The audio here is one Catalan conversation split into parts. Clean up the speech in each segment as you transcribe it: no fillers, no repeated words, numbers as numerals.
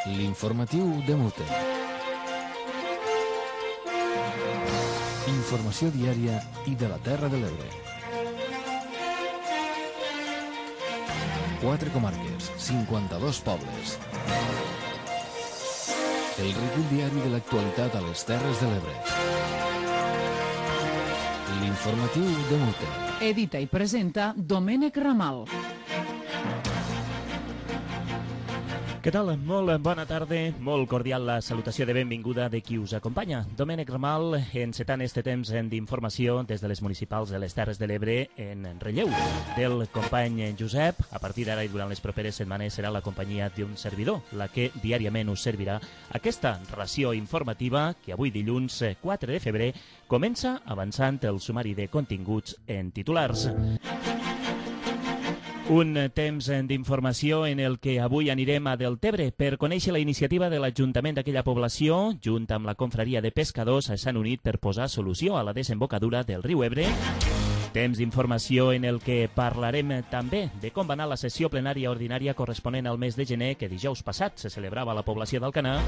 L'informatiu de Mute. Informació diària i de la Terra de l'Ebre. 4 comarques, 52 pobles. El recull diari de l'actualitat a les Terres de l'Ebre. L'informatiu de Mute. Edita i presenta Domènec Ramal. Què tal? Molt bona tarda, molt cordial la salutació de benvinguda de qui us acompanya. Domènec Ramal, encetant este temps d'informació des de les municipals de les Terres de l'Ebre en relleu del company Josep. A partir d'ara i durant les properes setmanes serà la companyia d'un servidor, la que diàriament us servirà aquesta ració informativa que avui dilluns 4 de febrer comença avançant el sumari de continguts en titulars. Un temps d'informació en el que avui anirem a Deltebre per conèixer la iniciativa de l'Ajuntament d'aquella població, junt amb la confraria de pescadors, s'han unit per posar solució a la desembocadura del riu Ebre. Temps d'informació en el que parlarem també de com va anar la sessió plenària ordinària corresponent al mes de gener que dijous passat se celebrava a la població d'Alcanar.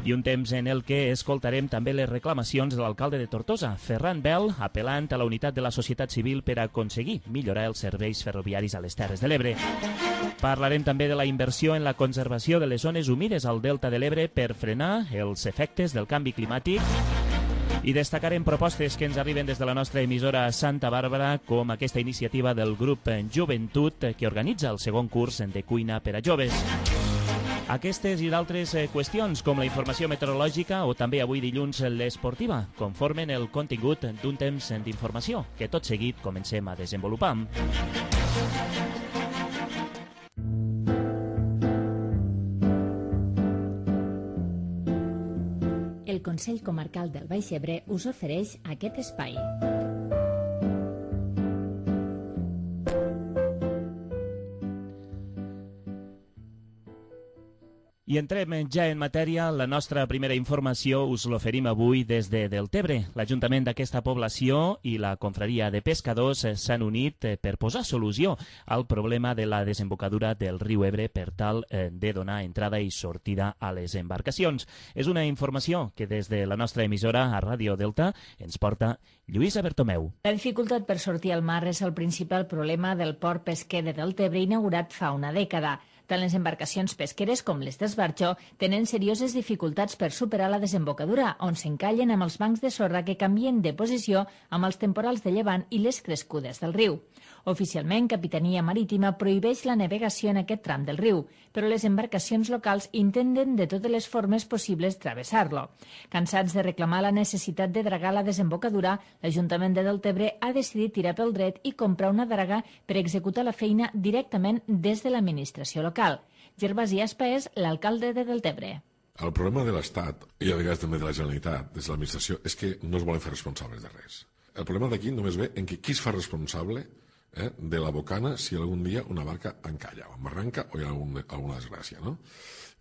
I un temps en el que escoltarem també les reclamacions de l'alcalde de Tortosa, Ferran Bel, apel·lant a la unitat de la societat civil per aconseguir millorar els serveis ferroviaris a les Terres de l'Ebre. Parlarem també de la inversió en la conservació de les zones humides al Delta de l'Ebre per frenar els efectes del canvi climàtic. I destacarem propostes que ens arriben des de la nostra emissora Santa Bàrbara, com aquesta iniciativa del grup Joventut que organitza el segon curs de cuina per a joves. Aquestes i d'altres qüestions, com la informació meteorològica o també avui dilluns l'esportiva, conformen el contingut d'un temps d'informació que tot seguit comencem a desenvolupar. El Consell Comarcal del Baix Ebre us ofereix aquest espai. I entrem ja en matèria. La nostra primera informació us l'oferim avui des de Deltebre. L'Ajuntament d'aquesta població i la confraria de pescadors s'han unit per posar solució al problema de la desembocadura del riu Ebre per tal de donar entrada i sortida a les embarcacions. És una informació que des de la nostra emissora a Ràdio Delta ens porta Lluïsa Bertomeu. La dificultat per sortir al mar és el principal problema del port pesquer de Deltebre inaugurat fa una dècada. Tant les embarcacions pesqueres com les d'esbarjo tenen serioses dificultats per superar la desembocadura, on s'encallen amb els bancs de sorra que canvien de posició amb els temporals de llevant i les crescudes del riu. Oficialment, Capitania Marítima prohibeix la navegació en aquest tram del riu, però les embarcacions locals intenten de totes les formes possibles travessar-lo. Cansats de reclamar la necessitat de dragar la desembocadura, l'Ajuntament de Deltebre ha decidit tirar pel dret i comprar una draga per executar la feina directament des de l'administració local. Gervasi Aspa és l'alcalde de Deltebre. El problema de l'Estat, i a vegades també de la Generalitat, des de l'administració, és que no es volen fer responsables de res. El problema d'aquí només ve en que qui es fa responsable de la bocana si algun dia una barca encalla o embarranca o hi ha alguna desgràcia, no?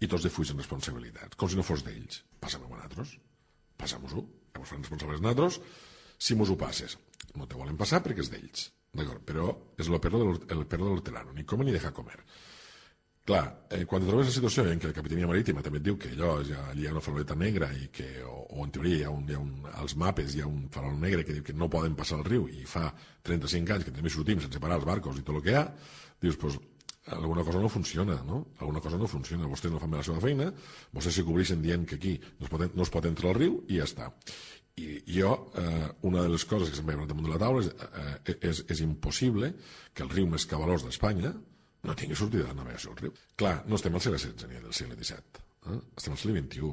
I tots defugen responsabilitats, com si no fos d'ells. Passa-m'ho a nosaltres, passa-mos-ho, que ens fan responsables nosaltres, si mos ho passes. No te volen passar perquè és d'ells, d'acord? Però és el perro de l'hortelano, ni come ni deja comer. Clar, quan et trobes en situació en què la Capitania Marítima també et diu que allò allí hi ha una faroleta negra i que, o en teoria als mapes hi ha un farol negre que diu que no poden passar el riu i fa 35 anys que també sortim sense parar els barcos i tot el que hi ha, dius, doncs, alguna cosa no funciona, no? Alguna cosa no funciona. Vostès no fan bé la seva feina, vostès se cobreixen dient que aquí no es pot entrar al riu i ja està. I jo, una de les coses que se'm veuen damunt de la taula és impossible que el riu més cabalós d'Espanya no tingui sortida de navegació al riu. Clar, no estem al segle XVI ni del segle XVII. Estem al segle XXI.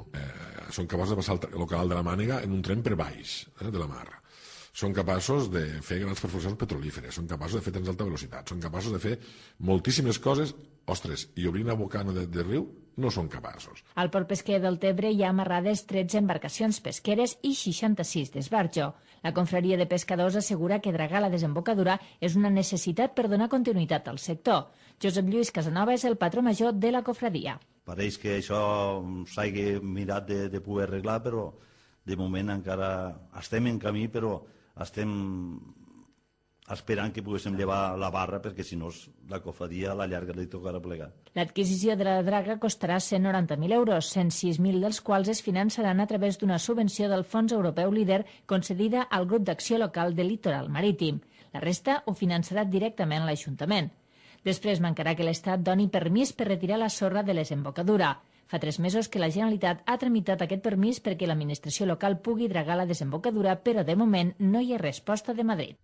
Són capaços de passar el canal de la Mànega en un tren per baix de la mar. Són capaços de fer grans perforacions petrolíferes, són capaços de fer trens d'alta velocitat, són capaços de fer moltíssimes coses, ostres, i obrir una bocana de riu no són capaços. Al port pesquer del Tebre hi ha amarrades 13 embarcacions pesqueres i 66 d'esbarjo. La confraria de pescadors assegura que dragar la desembocadura és una necessitat per donar continuïtat al sector. Josep Lluís Casanova és el patró major de la confraria. Pareix que això s'hagi mirat de poder arreglar, però de moment encara estem en camí, però estem esperant que poguéssim llevar la barra, perquè si no la cofradia a la llarga li tocarà plegar. L'adquisició de la draga costarà 190.000 euros, 106.000 dels quals es finançaran a través d'una subvenció del Fons Europeu Líder concedida al Grup d'Acció Local del Litoral Marítim. La resta ho finançarà directament l'Ajuntament. Després mancarà que l'Estat doni permís per retirar la sorra de la desembocadura. Fa 3 mesos que la Generalitat ha tramitat aquest permís perquè l'administració local pugui dragar la desembocadura, però de moment no hi ha resposta de Madrid.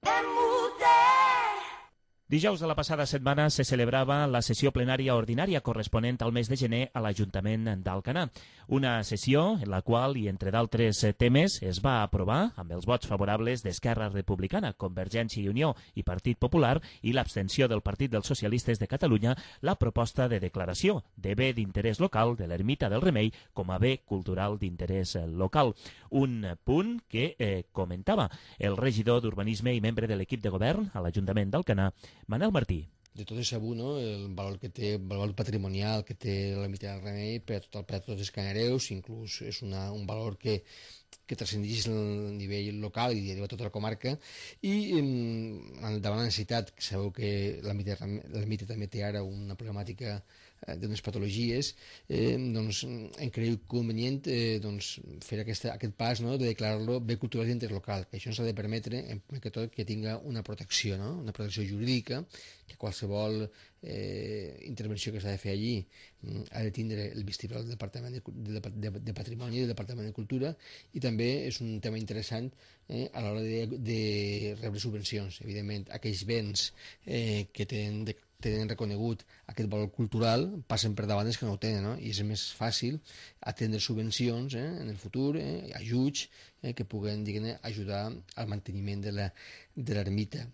Dijous de la passada setmana se celebrava la sessió plenària ordinària corresponent al mes de gener a l'Ajuntament d'Alcanar. Una sessió en la qual, i entre d'altres temes, es va aprovar, amb els vots favorables d'Esquerra Republicana, Convergència i Unió i Partit Popular i l'abstenció del Partit dels Socialistes de Catalunya, la proposta de declaració de bé d'interès local de l'Ermita del Remei com a bé cultural d'interès local. Un punt que comentava el regidor d'Urbanisme i membre de l'equip de govern a l'Ajuntament d'Alcanar, Manel Martí. De tot és sabut, no? El valor que té, el valor patrimonial que té l'Ermita del Remei per a tots els canareus, inclús és un valor que transcendeix el nivell local i a tota la comarca, i davant la necessitat, que sabeu que l'Ermita també té ara una problemàtica d'unes patologies, doncs hem cregut convenient fer aquest pas, no?, de declarar-lo bé cultural d'interès local, que això ens ha de permetre, en primer que tot, que tinga una protecció, no?, una protecció jurídica, que qualsevol intervenció que s'ha de fer allí ha de tindre el vistiplau del Departament de Patrimoni i del Departament de Cultura, i també és un tema interessant a l'hora de rebre subvencions. Evidentment, aquells béns que tenen reconegut aquest valor cultural passen per davant els que no ho tenen, no? I és més fàcil atendre subvencions en el futur, ajuts que puguen, diguem-ne, ajudar al manteniment de l'ermita.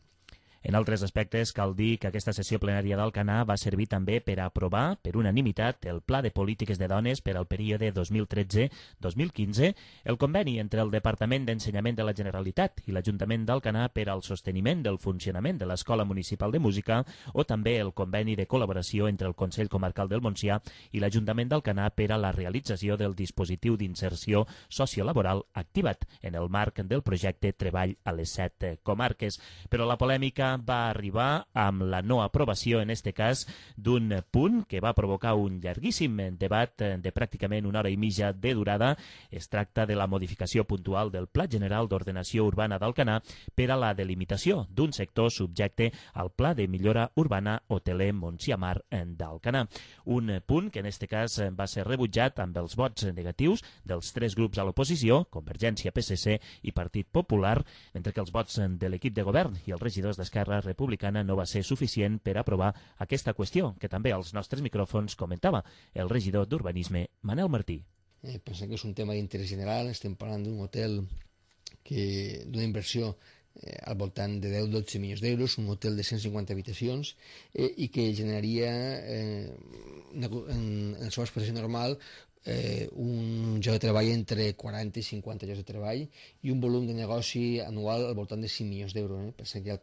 En altres aspectes, cal dir que aquesta sessió plenària d'Alcanar va servir també per a aprovar, per unanimitat, el Pla de Polítiques de Dones per al període 2013-2015, el conveni entre el Departament d'Ensenyament de la Generalitat i l'Ajuntament d'Alcanar per al sosteniment del funcionament de l'Escola Municipal de Música, o també el conveni de col·laboració entre el Consell Comarcal del Montsià i l'Ajuntament d'Alcanar per a la realització del dispositiu d'inserció sociolaboral activat en el marc del projecte Treball a les 7 comarques. Però la polèmica va arribar amb la no aprovació, en este cas, d'un punt que va provocar un llarguíssim debat de pràcticament una hora i mitja de durada. Es tracta de la modificació puntual del Pla General d'Ordenació Urbana d'Alcanar per a la delimitació d'un sector subjecte al Pla de Millora Urbana Hoteler Montsià-Mar d'Alcanar. Un punt que en este cas va ser rebutjat amb els vots negatius dels 3 grups a l'oposició, Convergència, PSC i Partit Popular, mentre que els vots de l'equip de govern i els regidors d'Esquerra Republicana no va ser suficient per aprovar aquesta qüestió, que també als nostres micròfons comentava el regidor d'Urbanisme, Manel Martí. Pensem que és un tema d'interès general, estem parlant d'un hotel d'una inversió al voltant de 10-12 milions d'euros, un hotel de 150 habitacions i que generaria en la seva expressió normal un lloc de treball entre 40 i 50 llocs de treball i un volum de negoci anual al voltant de 5 milions d'euros. Pensem que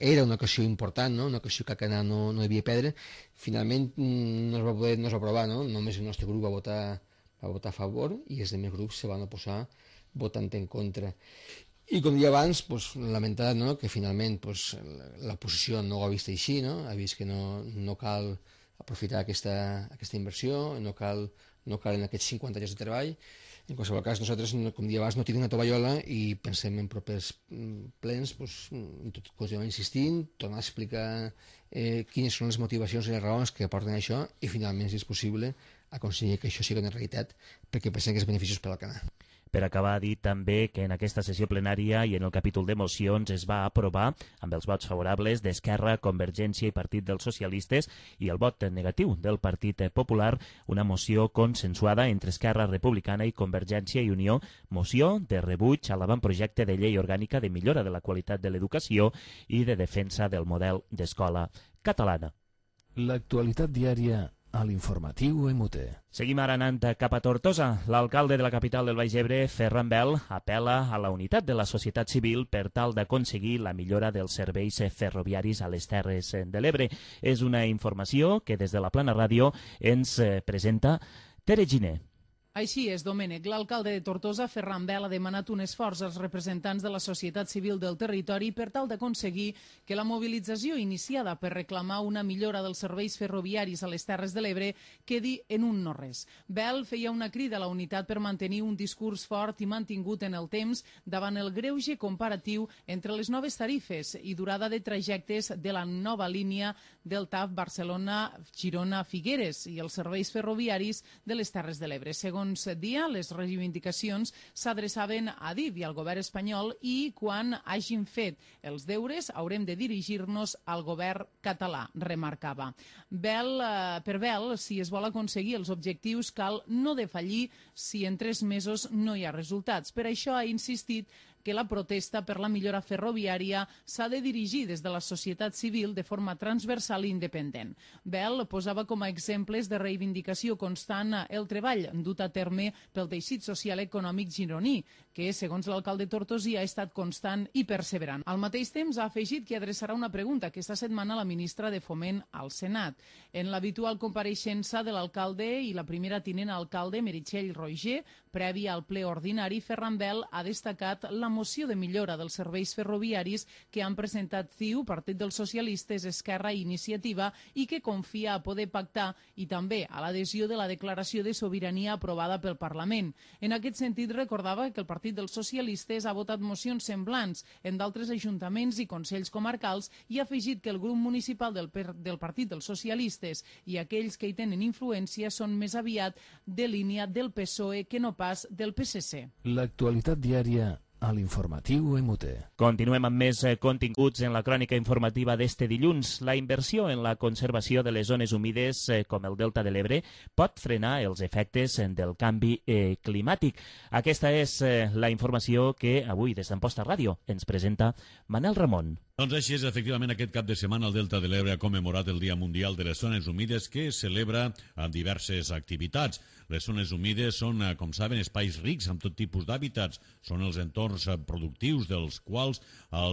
era una ocasió important, no? Una ocasió que Alcanar no devia perdre. Finalment no es va poder aprovar, no? Només el nostre grup va votar a favor i els altres grups se van oposar votant en contra. I com dia abans, lamentar que finalment l'oposició no ho ha vist així, no? Ha vist que no cal aprofitar aquesta inversió, no calen aquests 50 llocs de treball. En qualsevol cas, nosaltres, com dia abans, no tenim una tovallola i pensem en propers plens, continuem insistint, tornar a explicar quines són les motivacions i les raons que aporten això i, finalment, si és possible, aconseguir que això sigui una realitat perquè pensem que és beneficiós per l'Alcanar. Per acabar, dir també que en aquesta sessió plenària i en el capítol de mocions es va aprovar, amb els vots favorables d'Esquerra, Convergència i Partit dels Socialistes i el vot negatiu del Partit Popular, una moció consensuada entre Esquerra Republicana i Convergència i Unió, moció de rebuig a l'avantprojecte de llei orgànica de millora de la qualitat de l'educació i de defensa del model d'escola catalana. L'actualitat diària a l'informatiu MUT. Seguim ara anant cap a Tortosa. L'alcalde de la capital del Baix Ebre, Ferran Bel, apel·la a la unitat de la societat civil per tal d'aconseguir la millora dels serveis ferroviaris a les Terres de l'Ebre. És una informació que des de la Plana Ràdio ens presenta Tere Giner. Així és, Domènec. L'alcalde de Tortosa, Ferran Bel, ha demanat un esforç als representants de la societat civil del territori per tal d'aconseguir que la mobilització iniciada per reclamar una millora dels serveis ferroviaris a les Terres de l'Ebre quedi en un no-res. Bel feia una crida a la unitat per mantenir un discurs fort i mantingut en el temps davant el greuge comparatiu entre les noves tarifes i durada de trajectes de la nova línia del TAF Barcelona-Girona-Figueres i els serveis ferroviaris de les Terres de l'Ebre. Segons dia, les reivindicacions s'adreçaven a DIF i al govern espanyol i quan hagin fet els deures haurem de dirigir-nos al govern català, remarcava. Per Bel, si es vol aconseguir els objectius, cal no defallir si en 3 mesos no hi ha resultats. Per això ha insistit que la protesta per la millora ferroviària s'ha de dirigir des de la societat civil de forma transversal i independent. Bel posava com a exemples de reivindicació constant el treball dut a terme pel teixit social econòmic gironí, que, segons l'alcalde tortosí, ha estat constant i perseverant. Al mateix temps, ha afegit que adreçarà una pregunta aquesta setmana a la ministra de Foment al Senat. En l'habitual compareixença de l'alcalde i la primera tinent alcalde, Meritxell Roger, prèvia al ple ordinari, Ferran Bel ha destacat la moció de millora dels serveis ferroviaris que han presentat CiU, Partit dels Socialistes, Esquerra i Iniciativa i que confia a poder pactar i també a l'adhesió de la declaració de sobirania aprovada pel Parlament. En aquest sentit, recordava que el Partit dels Socialistes ha votat mocions semblants en d'altres ajuntaments i consells comarcals i ha afegit que el grup municipal del Partit dels Socialistes i aquells que hi tenen influència són més aviat de línia del PSOE que no pas del PSC. L'actualitat diària a l'informatiu MUT. Continuem amb més continguts en la crònica informativa d'este dilluns. La inversió en la conservació de les zones humides, com el Delta de l'Ebre, pot frenar els efectes del canvi climàtic. Aquesta és la informació que avui des d'Amposta Ràdio ens presenta Manel Ramon. Doncs així és, efectivament, aquest cap de setmana el Delta de l'Ebre ha commemorat el Dia Mundial de les Zones Humides que es celebra amb diverses activitats. Les zones humides són, com saben, espais rics amb tot tipus d'hàbitats. Són els entorns productius dels quals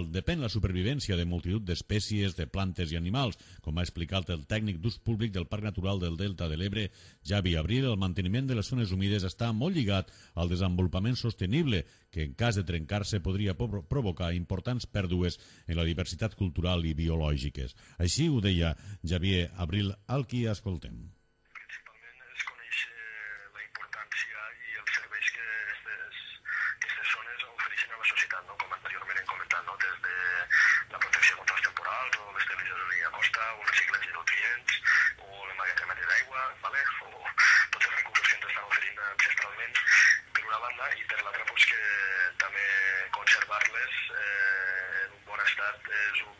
depèn la supervivència de multitud d'espècies de plantes i animals. Com ha explicat el tècnic d'ús públic del Parc Natural del Delta de l'Ebre, Javi Abril, el manteniment de les zones humides està molt lligat al desenvolupament sostenible, que en cas de trencar-se podria provocar importants pèrdues en la diversitat cultural i biològiques. Així ho deia Javier Abril, al qui escoltem. Principalment es coneix la importància i els serveis que aquestes zones ofereixen a la societat, com anteriorment hem comentat, des de la protecció contra els temporals o l'estabilització de la línia costa o el reciclatge de nutrients o l'emmagatzematge d'aigua, o tots els recursos que ens estan oferint ancestralment per una banda, i per l'altra que també conservar-les en un bon estat és un...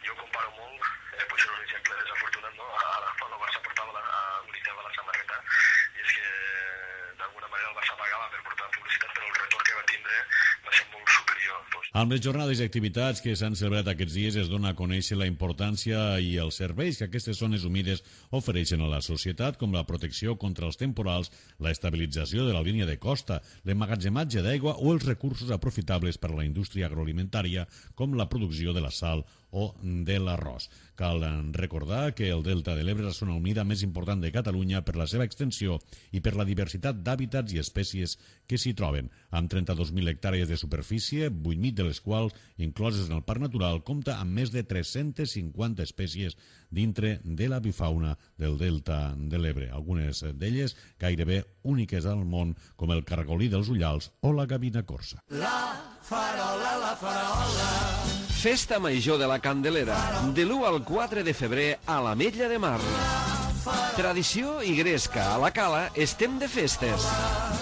Jo comparo molt, potser un exemple desafortunat, quan el Barça portava l'unitat de la samarreta, i és que d'alguna manera el Barça pagava per portar publicitat, però el retorn que va tindre va ser molt superior. Amb les jornades i activitats que s'han celebrat aquests dies es dona a conèixer la importància i els serveis que aquestes zones humides ofereixen a la societat, com la protecció contra els temporals, la estabilització de la línia de costa, l'emmagatzematge d'aigua o els recursos aprofitables per a la indústria agroalimentària, com la producció de la sal o de l'arròs. Cal recordar que el Delta de l'Ebre és la zona humida més important de Catalunya per la seva extensió i per la diversitat d'hàbitats i espècies que s'hi troben, amb 32.000 hectàrees de superfície, 8.000 de les quals, incloses en el Parc Natural, compta amb més de 350 espècies dintre de la bifauna del Delta de l'Ebre, algunes d'elles gairebé úniques al món, com el cargolí dels ullals o la gavina corsa. La farola, la farola. Festa Major de la Candelera, de l'1 al 4 de febrer a l'Ametlla de Mar. Tradició i gresca, a la Cala estem de festes.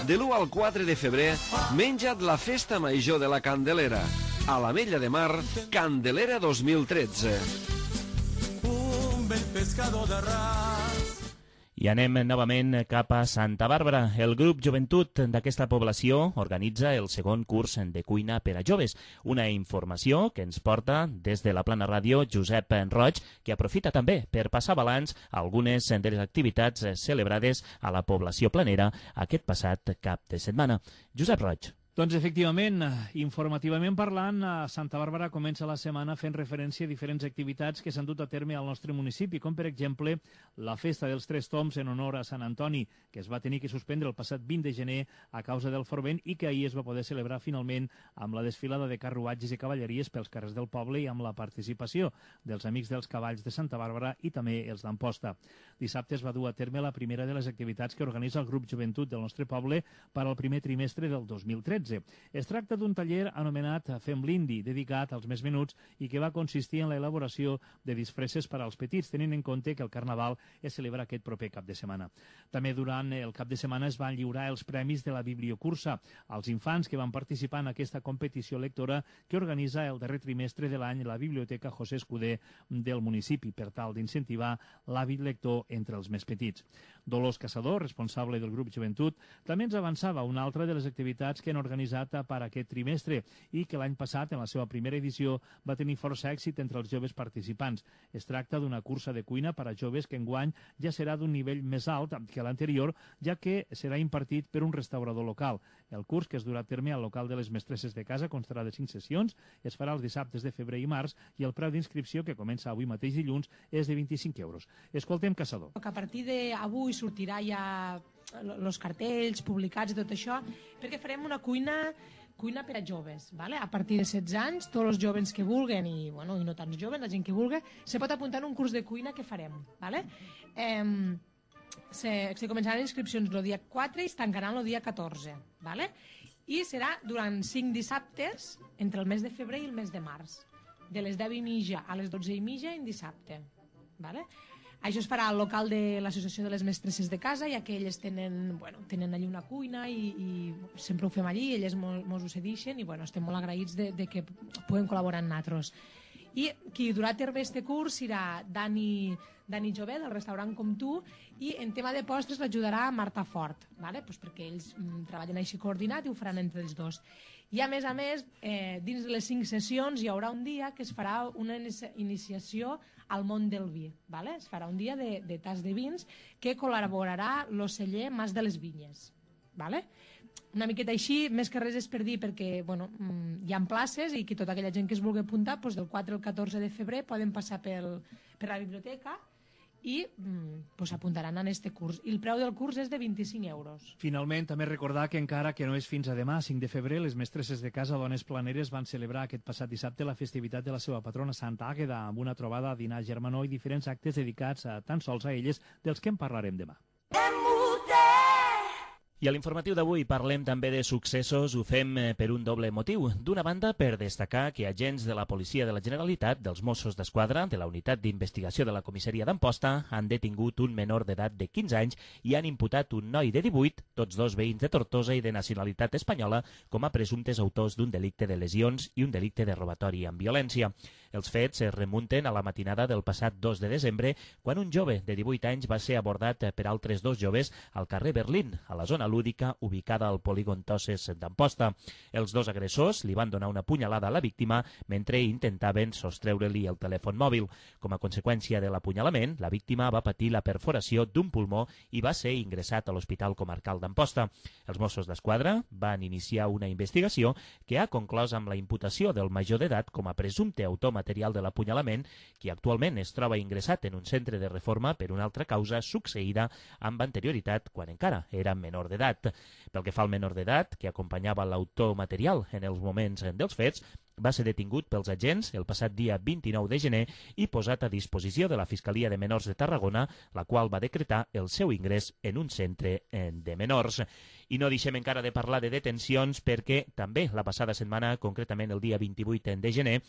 De l'1 al 4 de febrer, menja't la Festa Major de la Candelera. A l'Ametlla de Mar, Candelera 2013. Un vell pescador de ras. I anem novament cap a Santa Bàrbara. El grup Joventut d'aquesta població organitza el segon curs de cuina per a joves. Una informació que ens porta des de la Plana Ràdio Josep Roig, que aprofita també per passar balanç a algunes de les activitats celebrades a la població planera aquest passat cap de setmana. Josep Roig. Doncs efectivament, informativament parlant, Santa Bàrbara comença la setmana fent referència a diferents activitats que s'han dut a terme al nostre municipi, com per exemple la Festa dels Tres Tombs en honor a Sant Antoni, que es va tenir que suspendre el passat 20 de gener a causa del Forvent i que ahir es va poder celebrar finalment amb la desfilada de carruatges i cavalleries pels carrers del poble i amb la participació dels Amics dels Cavalls de Santa Bàrbara i també els d'Amposta. Dissabte es va dur a terme la primera de les activitats que organitza el grup Joventut del nostre poble per al primer trimestre del 2013. Es tracta d'un taller anomenat Fem l'Indi, dedicat als més menuts i que va consistir en l'elaboració de disfresses per als petits, tenint en compte que el Carnaval es celebra aquest proper cap de setmana. També durant el cap de setmana es van lliurar els premis de la Bibliocursa als infants que van participar en aquesta competició lectora que organitza el darrer trimestre de l'any la Biblioteca José Escudé del municipi, per tal d'incentivar l'hàbit lector entre els més petits. Dolors Caçador, responsable del grup Joventut, també ens avançava una altra de les activitats que han organitzat per aquest trimestre i que l'any passat, en la seva primera edició, va tenir força èxit entre els joves participants. Es tracta d'una cursa de cuina per a joves que enguany ja serà d'un nivell més alt que l'anterior, ja que serà impartit per un restaurador local. El curs, que es durà a terme al local de les mestresses de casa, constarà de 5 sessions, es farà els dissabtes de febrer i març i el preu d'inscripció, que comença avui mateix dilluns, és de 25 euros. Escoltem Caçador. A partir d'avui sortirà ja els cartells publicats i tot això, perquè farem una cuina per a joves, ¿vale? A partir de 16 anys, tots els joves que vulguen, i no tants joves, la gent que vulgui, se pot apuntar en un curs de cuina que farem, ¿vale? Se començaran inscripcions el dia 4 i es tancaran el dia 14, ¿vale? I serà durant 5 dissabtes entre el mes de febrer i el mes de març, de les 10:30 a les 12:30 en dissabte, ¿vale? Això es farà al local de l'Associació de les Mestresses de Casa, ja que elles tenen allí una cuina i sempre ho fem allí, elles mos ho cedixen i estem molt agraïts de que puguem col·laborar amb nosaltres. I qui durà a terme este curs serà Dani Jové, del restaurant Com Tu, i en tema de postres l'ajudarà Marta Fort, ¿vale? Pues perquè ells treballen així coordinat i ho faran entre els dos. I a més, dins de les 5 sessions hi haurà un dia que es farà una iniciació al món del vi, ¿vale? Es farà un dia de tas de vins que col·laborarà l'oceller Mas de les Vinyes, ¿vale? Una miqueta així, més que res és per dir, perquè hi ha places i que tota aquella gent que es vulgui apuntar, del 4 al 14 de febrer poden passar per la biblioteca i apuntaran en este curs. I el preu del curs és de 25 euros. Finalment, també recordar que encara que no és fins a demà, 5 de febrer, les mestresses de casa Dones Planeres van celebrar aquest passat dissabte la festivitat de la seva patrona Santa Àgueda, amb una trobada, dinar germanor i diferents actes dedicats tan sols a elles, dels que en parlarem demà. I a l'informatiu d'avui parlem també de successos, ho fem per un doble motiu. D'una banda, per destacar que agents de la Policia de la Generalitat, dels Mossos d'Esquadra, de la Unitat d'Investigació de la Comissaria d'Amposta, han detingut un menor d'edat de 15 anys i han imputat un noi de 18, tots dos veïns de Tortosa i de nacionalitat espanyola, com a presumptes autors d'un delicte de lesions i un delicte de robatori amb violència. Els fets es remunten a la matinada del passat 2 de desembre, quan un jove de 18 anys va ser abordat per altres dos joves al carrer Berlín, a la zona lúdica ubicada al polígon Toses d'Amposta. Els dos agressors li van donar una punyalada a la víctima mentre intentaven sostreure-li el telèfon mòbil. Com a conseqüència de l'apunyalament, la víctima va patir la perforació d'un pulmó i va ser ingressat a l'Hospital Comarcal d'Amposta. Els Mossos d'Esquadra van iniciar una investigació que ha conclòs amb la imputació del major d'edat com a presumpte autor material de l'apunyalament, qui actualment es troba ingressat en un centre de reforma per una altra causa succeïda amb anterioritat quan encara era menor d'edat. Pel que fa al menor d'edat, que acompanyava l'autor material en els moments dels fets, va ser detingut pels agents el passat dia 29 de gener i posat a disposició de la Fiscalia de Menors de Tarragona, la qual va decretar el seu ingrés en un centre de menors. I no deixem encara de parlar de detencions perquè també la passada setmana, concretament el dia 28 de gener,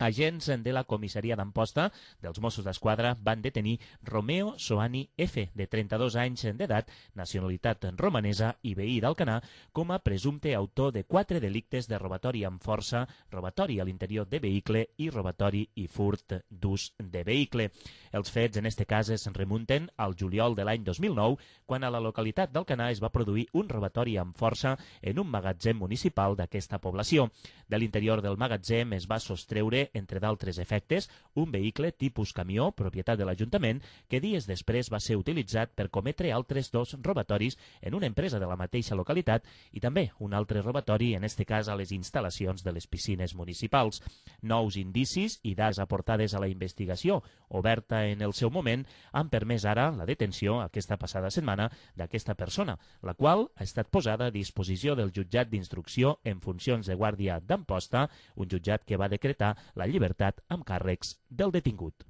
agents de la comissaria d'Amposta dels Mossos d'Esquadra van detenir Romeo Soani F., de 32 anys d'edat, nacionalitat romanesa i veí d'Alcanar, com a presumpte autor de 4 delictes de robatori amb força, robatori a l'interior de vehicle i robatori i furt d'ús de vehicle. Els fets en este cas es remunten al juliol de l'any 2009, quan a la localitat d'Alcanar es va produir un robatori amb força en un magatzem municipal d'aquesta població. De l'interior del magatzem es va sostreure ser, entre d'altres efectes, un vehicle tipus camió, propietat de l'Ajuntament, que dies després va ser utilitzat per cometre altres 2 robatoris en una empresa de la mateixa localitat i també un altre robatori, en este cas a les instal·lacions de les piscines municipals. Nous indicis i dades aportades a la investigació, oberta en el seu moment, han permès ara la detenció aquesta passada setmana d'aquesta persona, la qual ha estat posada a disposició del jutjat d'instrucció en funcions de guàrdia d'Amposta, un jutjat que va decretar la llibertat amb càrrecs del detingut.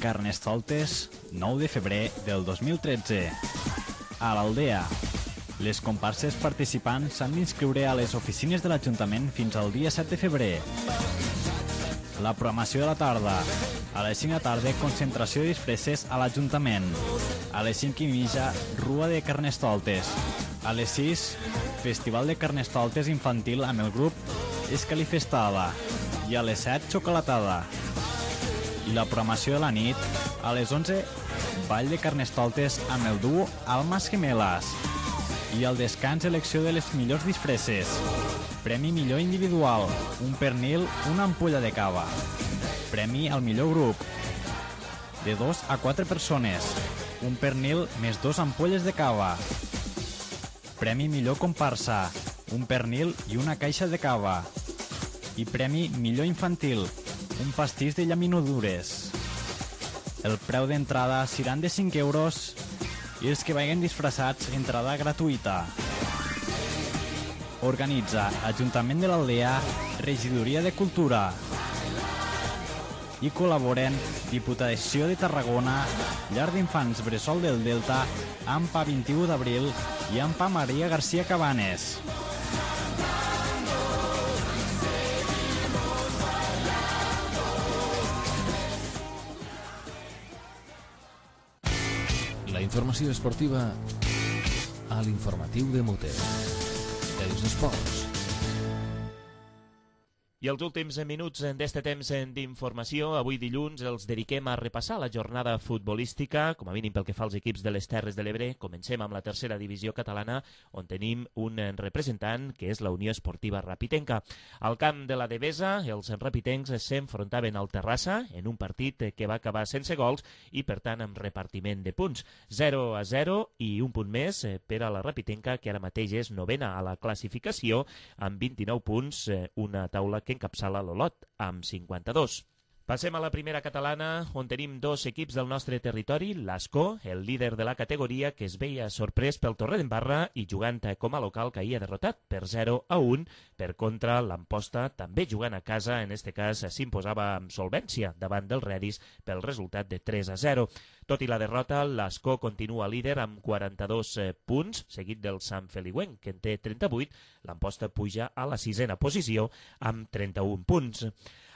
Carnestoltes, 9 de febrer del 2013. A l'Aldea. Les comparses participants s'han d'inscriure a les oficines de l'Ajuntament fins al dia 7 de febrer. La programació de la tarda. A les 5 de la tarda, concentració de disfresses a l'Ajuntament. A les 5:30, rua de Carnestoltes. A les 6, festival de Carnestoltes infantil amb el grup Escalifestada. I a les 7, xocolatada. I la programació de la nit, a les 11, ball de Carnestoltes amb el duo Almas Gemelas. I al descans, elecció de les millors disfresses. Premi millor individual, un pernil, una ampolla de cava. Premi al millor grup, de 2 a 4 persones, un pernil més 2 ampolles de cava. Premi millor comparsa, un pernil i una caixa de cava. I premi millor infantil, un pastís de llaminadures. El preu d'entrada seran de 5 euros i els que vagin disfressats, entrada gratuïta. Organitza Ajuntament de l'Aldea, Regidoria de Cultura. I col·laboren Diputació de Tarragona, Llar d'Infants Bressol del Delta, AMPA 21 d'abril i AMPA Maria García Cabanes. La informació esportiva a l'informatiu de Mote. Els esports. I els últims minuts d'este temps d'informació, avui dilluns, els dediquem a repassar la jornada futbolística, com a mínim pel que fa als equips de les Terres de l'Ebre. Comencem amb la tercera divisió catalana, on tenim un representant, que és la Unió Esportiva Rapitenca. Al camp de la Devesa, els rapitencs s'enfrontaven al Terrassa en un partit que va acabar sense gols i, per tant, amb repartiment de punts. 0-0 i un punt més per a la Rapitenca, que ara mateix és novena a la classificació, amb 29 punts, una taula que encapçala l'Olot, amb 52. Passem a la primera catalana, on tenim 2 equips del nostre territori. L'Ascó, el líder de la categoria, que es veia sorprès pel Torredembarra i jugant com a local caia derrotat per 0-1. Per contra, l'Amposta, també jugant a casa, en este cas s'imposava amb solvència davant del Redis pel resultat de 3-0. Tot i la derrota, l'Ascó continua líder amb 42 punts, seguit del Sant Feliuenc, que en té 38. L'Amposta puja a la 6a posició amb 31 punts.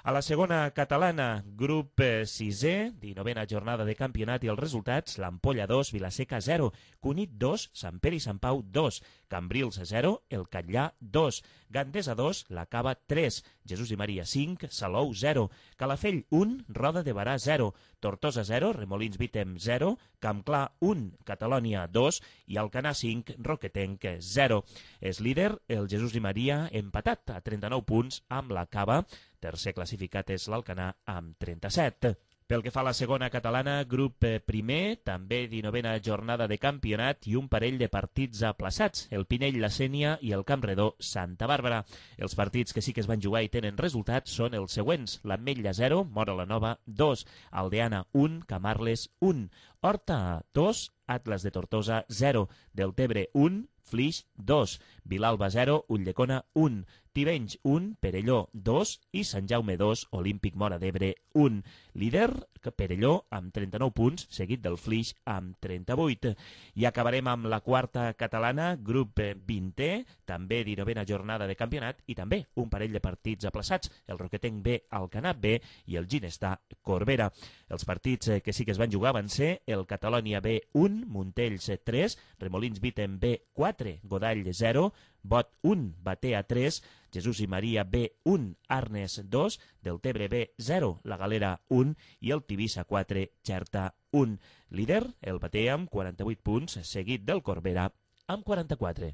A la segona catalana, grup 6è, 19a jornada de campionat i els resultats: l'Ampolla 2, Vilaseca 0, Cunit 2, Sant Pere i Sant Pau 2, Cambrils 0, el Catllà 2, Gandesa 2, la Cava 3, Jesús i Maria 5, Salou 0, Calafell 1, Roda de Barà 0, Tortosa 0, Remolins Vítem 0, Campclar 1, Catalònia 2 i Alcanar 5, Roquetenc 0. És líder el Jesús i Maria, empatat a 39 punts amb la Cava. Tercer classificat és l'Alcanar amb 37. Pel que fa a la segona catalana, grup primer, també 19a jornada de campionat i un parell de partits aplaçats, el Pinell, la Sénia i el Campredó, Santa Bàrbara. Els partits que sí que es van jugar i tenen resultats són els següents: l'Ametlla 0, Móra la Nova 2, Aldeana 1, Camarles 1, Horta 2, Atlas de Tortosa 0, Deltebre 1, Flix 2, Vilalba 0, Ulldecona 1, Tivenys 1, Perelló 2 i Sant Jaume 2, Olímpic Móra d'Ebre 1. Líder, Perelló, amb 39 punts, seguit del Flix amb 38. I acabarem amb la quarta catalana, grup 20è, també 19a jornada de campionat i també un parell de partits aplaçats, el Roquetenc B, Alcanar B i el Ginestar Corbera. Els partits que sí que es van jugar van ser el Catalònia B 1, Montells 3, Remolins Vítem B 4, Godall 0, Bot 1, Batea 3, Jesús i Maria B1, Arnes 2, Deltebre B0, La Galera 1 i el Tivissa 4, Xerta 1. Líder, el Batea amb 48 punts, seguit del Corbera amb 44.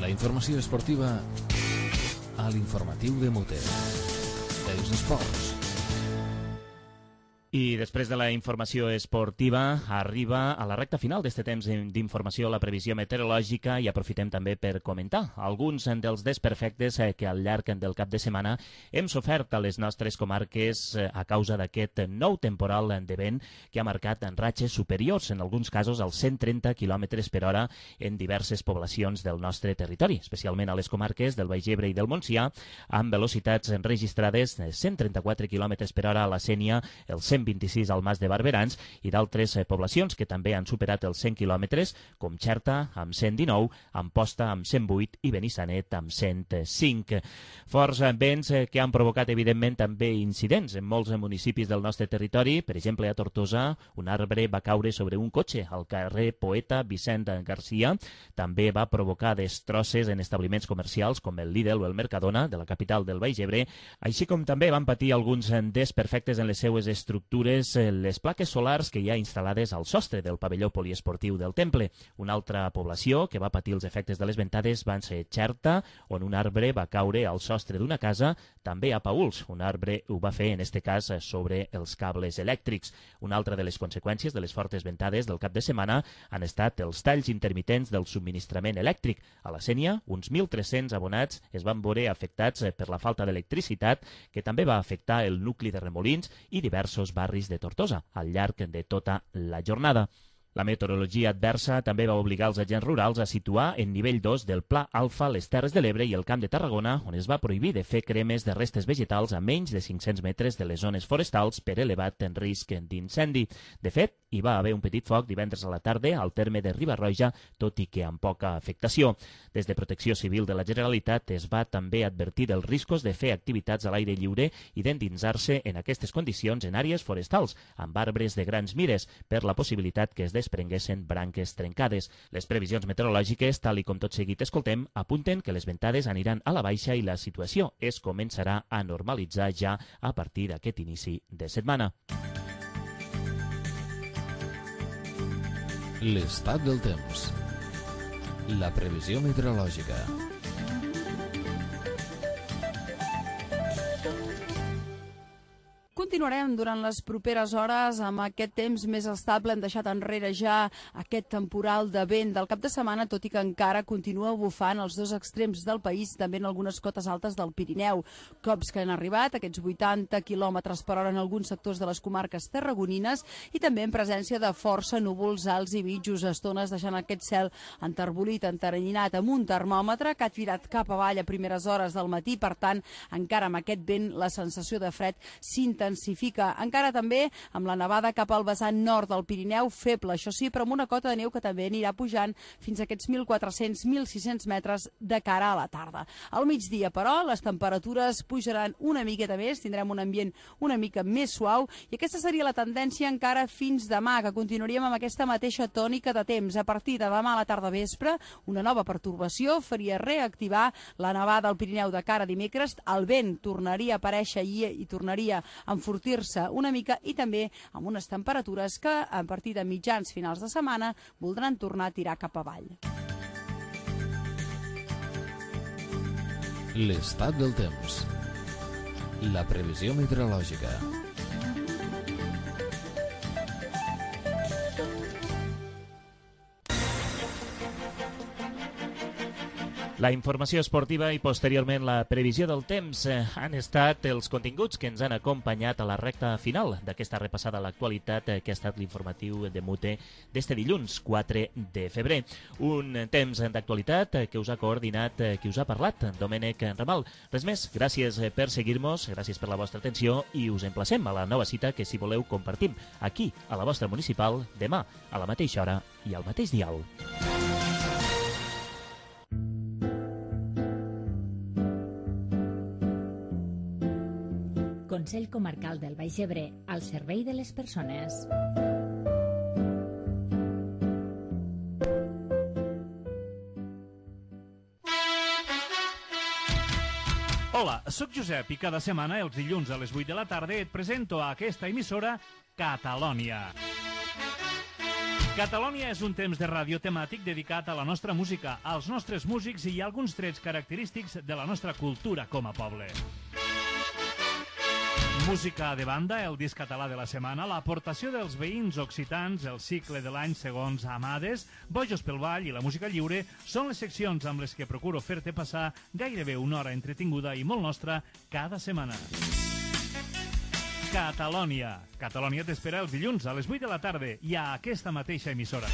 La informació esportiva a l'informatiu de Mote. Els esports. I després de la informació esportiva arriba a la recta final d'este temps d'informació la previsió meteorològica i aprofitem també per comentar alguns dels desperfectes que al llarg del cap de setmana hem sofert a les nostres comarques a causa d'aquest nou temporal de vent que ha marcat en ratxes superiors, en alguns casos als 130 km per hora en diverses poblacions del nostre territori, especialment a les comarques del Baix Ebre i del Montsià, amb velocitats registrades de 134 km per hora a la Sénia, el 126 al Mas de Barberans i d'altres poblacions que també han superat els 100 quilòmetres, com Xerta amb 119, Amposta amb 108 i Benissanet amb 105. Forts vents que han provocat evidentment també incidents en molts municipis del nostre territori. Per exemple, a Tortosa, un arbre va caure sobre un cotxe al carrer Poeta Vicent Garcia. També va provocar destrosses en establiments comercials com el Lidl o el Mercadona de la capital del Baix Ebre, així com també van patir alguns desperfectes en les seues estructures les plaques solars que hi ha instal·lades al sostre del pavelló poliesportiu del Temple. Una altra població que va patir els efectes de les ventades van ser Xerta, on un arbre va caure al sostre d'una casa, també a Pauls. Un arbre ho va fer, en este cas, sobre els cables elèctrics. Una altra de les conseqüències de les fortes ventades del cap de setmana han estat els talls intermitents del subministrament elèctric. A la Sénia, uns 1.300 abonats es van veure afectats per la falta d'electricitat, que també va afectar el nucli de Remolins i diversos barris de Tortosa al llarg de tota la jornada. La meteorologia adversa també va obligar els agents rurals a situar en nivell 2 del Pla Alfa les Terres de l'Ebre i el Camp de Tarragona, on es va prohibir de fer cremes de restes vegetals a menys de 500 metres de les zones forestals per elevat en risc d'incendi. De fet, hi va haver un petit foc divendres a la tarda al terme de Riba-roja, tot i que amb poca afectació. Des de Protecció Civil de la Generalitat es va també advertir dels riscos de fer activitats a l'aire lliure i d'endinsar-se en aquestes condicions en àrees forestals, amb arbres de grans mires, per la possibilitat que es desprenguessin branques trencades. Les previsions meteorològiques, tal i com tot seguit escoltem, apunten que les ventades aniran a la baixa i la situació es començarà a normalitzar ja a partir d'aquest inici de setmana. L'estat del temps. La previsió meteorològica. Continuarem durant les properes hores amb aquest temps més estable. Hem deixat enrere ja aquest temporal de vent del cap de setmana, tot i que encara continua bufant als dos extrems del país, també en algunes cotes altes del Pirineu. Cops que han arribat, aquests 80 km per hora en alguns sectors de les comarques tarragonines i també en presència de força núvols alts i mitjos, estones deixant aquest cel enterbolit, enteranyinat, amb un termòmetre que ha tirat cap avall a primeres hores del matí. Per tant, encara amb aquest vent, la sensació de fred s'intensifica. Encara també amb la nevada cap al vessant nord del Pirineu, feble, això sí, però amb una cota de neu que també anirà pujant fins a aquests 1.400-1.600 metres de cara a la tarda. Al migdia, però, les temperatures pujaran una miqueta més, tindrem un ambient una mica més suau i aquesta seria la tendència encara fins demà, que continuaríem amb aquesta mateixa tònica de temps. A partir de demà a la tarda vespre, una nova pertorbació faria reactivar la nevada al Pirineu de cara a dimecres, el vent tornaria a aparèixer i tornaria a enfortir-se una mica i també amb unes temperatures que a partir de mitjans finals de setmana voldran tornar a tirar cap avall. L'estat del temps. La previsió meteorològica. La informació esportiva i posteriorment la previsió del temps han estat els continguts que ens han acompanyat a la recta final d'aquesta repassada a l'actualitat que ha estat l'informatiu de Mute d'este dilluns 4 de febrer. Un temps d'actualitat que us ha coordinat, que us ha parlat, Domènec Ramal. Res més, gràcies per seguir-nos, gràcies per la vostra atenció i us emplacem a la nova cita que, si voleu, compartim aquí, a la vostra municipal, demà, a la mateixa hora i al mateix dial. Consell Comarcal del Baix Ebre, al servei de les persones. Hola, sóc Josep i cada setmana, els dilluns a les 8 de la tarda, et presento a aquesta emissora Catalònia. Catalònia és un temps de ràdio temàtic dedicat a la nostra música, als nostres músics i alguns trets característics de la nostra cultura com a poble. Música de banda, el disc català de la setmana, l'aportació dels veïns occitans, el cicle de l'any segons Amades, Bojos pel Ball i la música lliure són les seccions amb les que procuro fer-te passar gairebé una hora entretinguda i molt nostra cada setmana. Catalònia. Catalònia t'espera els dilluns a les 8 de la tarda i a aquesta mateixa emissora.